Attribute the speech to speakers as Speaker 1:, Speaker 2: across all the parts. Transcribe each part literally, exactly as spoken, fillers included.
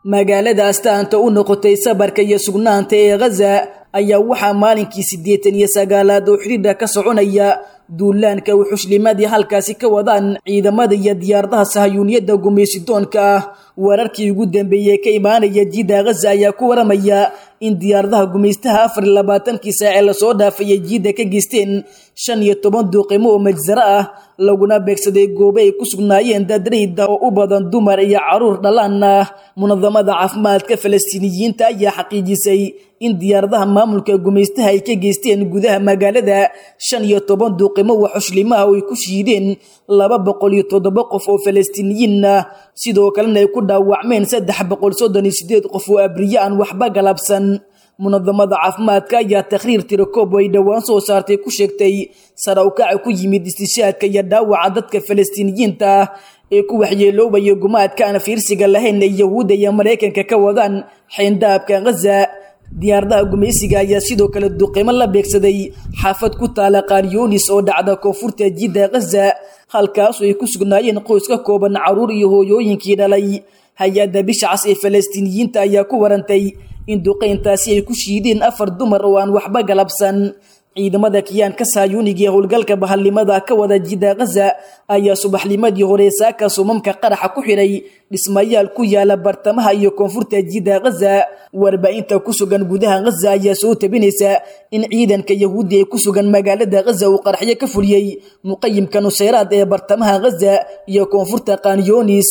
Speaker 1: Magaalada astaanta u noqotay sabarka iyo sugnaanta ee Ghaza ayaa waxaa maalinkii siddeetan iyo sagaalaad oo xidhiidha ka soconaya duulaanka wuxushlimadii halkaasi ka wadaan ciidamada iyo diyaaradaha sahayuuniyadda gumaysidoonka ah. Wararkii ugu dambeeyey ka imaanaya jiida Ghaza ayaa ku waramaya in diyaaradaha gumaystaha afar iyo labaatankii saac ee lasoo dhaafayay jiida ka geysteen shan iyo toban duuqimo oo majsaro ah, laguna beegsaday goobo ay ku sugnaayeen dad rayid ah oo u badan dumar iyo caruur dhalaan ah. Munadamada caafimaadka Falastiiniyiinta ayaa xaqiijisay in diyaaradaha maamulka gumaystaha ay ka geysteen gudaha magaalada shan iyo toban duuqimo waxushlimaha oo ay ku shiideen laba boqol iyo toddoba qof oo Falastiiniyiin ah, sidoo kalena ay ku dhaawacmeen saddex boqol soddon iyo sideed qof oo abriye aan waxba galabsan. Munadamada caafimaadka ayaa takhriir tirakoob ay dhowaan soo saartay ku sheegtay sare u kaca ku yimid istishaadka iyo dhaawaca dadka Falastiiniyiinta ah ee ku waxyeeloobaya gumaadka aan fiirsiga lahayn ee Yahuudda iyo Maraykanka ka wadaan xeyndaabka Ghaza. Diyaaradaha gumaysiga ayaa sidoo kale duqeymo la beegsaday xaafad ku taala Qaryoonis oo dhacda koonfurta jidda Ghaza, halkaasoo ay ku sugnaayeen qoys ka kooban caruur iyo hooyooyinkii dhalay. Hay-adda bisha cas ee Falastiiniyiinta ayaa ku warantay in duqeyntaasi ay ku shiideen afar dumar oo aan waxba galabsan. Ciidamada kiyaanka saayuuniga ee howlgalka bahalnimada ka wada jidda Ghaza ayaa subaxnimadii hore saaka sumamka qaraxa ku xidhay dhismayaal ku yaala bartamaha iyo koonfurta jidda Ghaza. Warbaahinta ku sugan gudaha Ghaza ayaa soo tabinaysa in ciidanka Yahuudi ee ku sugan magaalada Ghaza uu qaraxyo ka fuliyey muqayimka Nusayraad ee bartamaha Ghaza iyo koonfurta Qanyoonis.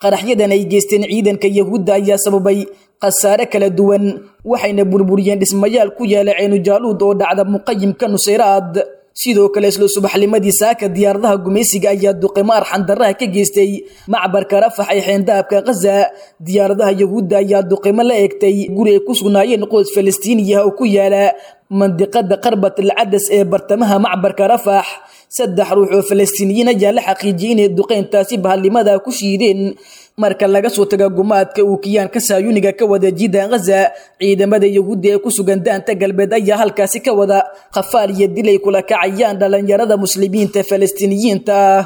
Speaker 1: Qaraxyadan ay geysteen ciidanka Yahuudda ayaa sababay khasaare kala duwan, waxayna burburiyeen dhismayaal ku yaala Ceenujaaluud oo dhacda muqayimka Nusayraad. Sidoo kale isla subaxnimadii saaka diyaaradaha gumaysiga ayaa duqeymo arxan darraha ka geystay macbarka Rafax ee xeyndaabka Ghaza. Diyaaradaha Yahuudda ayaa duqeymo la eegtay guri ay ku sugnaayeen qoys Falastiiniyaha oo ku yaala mandiqada Qarbat al Cadas ee bartamaha macbarka Rafax. Saddex ruux oo Falastiiniyiin ayaa la xaqiijiyey inay duqeyntaasi bahalnimada ku shiideen. Marka laga soo tago gumaadka uu kiyaanka saayuniga ka wada jidda Ghaza, ciidamada Yahuudda ee ku sugan daanta galbeed ayaa halkaasi ka wada khafaal iyo dilay kula kacayaan dhalinyarada muslimiinta Falastiiniyiinta ah.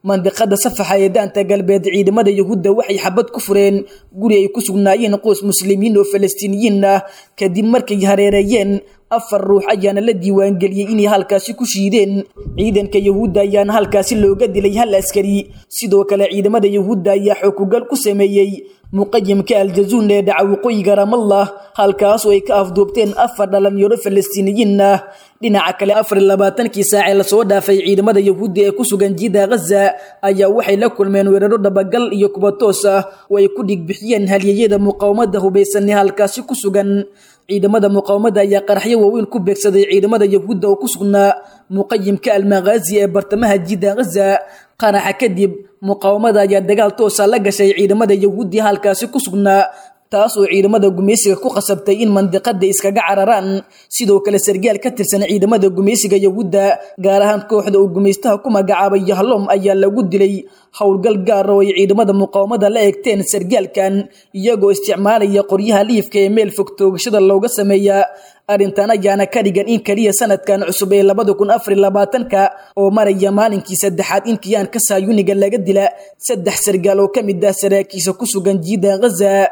Speaker 1: Mandiqada Safaxa ee daanta galbeed, ciidamada Yahuudda waxay xabad ku fureen guri ay ku sugnaayeen qoys muslimiin oo Falastiiniyiin ah kadib markay hareereeyeen. Afar ruux ayaana la diiwaangeliyey inay halkaasi ku shiideen. Ciidanka Yahuudda ayaana halkaasi looga dilay hal askari. Sidoo kale ciidamada Yahuudda ayaa xookugal ku sameeyey muqayimka Aljazuun ee dhaca waqooyiga Ramallah, halkaasoo ay ka afduubteen afar dhalinyaro Falastiiniyiin ah. Dhinaca kale, afar iyo labaatankii saac ee lasoo dhaafay ciidamada Yahuudda ee ku sugan jidda Ghaza ayaa waxay la kulmeen weeraro dhabagal iyo kuwa toos ah oo ay ku dhigbixiyeen halyeyada muqaawamada hubaysan ee halkaasi ku sugan. Ciidamada muqaawamada ayaa qaraxyo waaweyn ku beegsaday ciidamada Yahuudda oo ku sugnaa muqayimka Almaghazi ee bartamaha jidda Ghaza. Qaraxa kadib muqaawamada ayaa dagaal toosa la gashay ciidamada Yahuuddi halkaasi ku sugnaa, taas oo ciidamada gumaysiga ku qasabtay in mandiqada iskaga cararaan. Sidoo kale sargaal ka tirsan ciidamada gumaysiga Yahuudda, gaar ahaan kooxda uu gumaystaha ku magacaabay Yahlom, ayaa lagu dilay howlgal gaar oo ay ciidamada muqaawamada la eegteen sargaalkan, iyagoo isticmaalaya qoryaha liifka ee meel fog toogashada looga sameeya. Arrintan ayaana ka dhigan in kaliya sanadkan cusub ee labada kun afar iyo labaatanka oo maraya maalinkii saddexaad in kiyaanka saayuniga laga dila saddex sargaal oo ka mid ah saraakiisha ku sugan jiida Ghaza.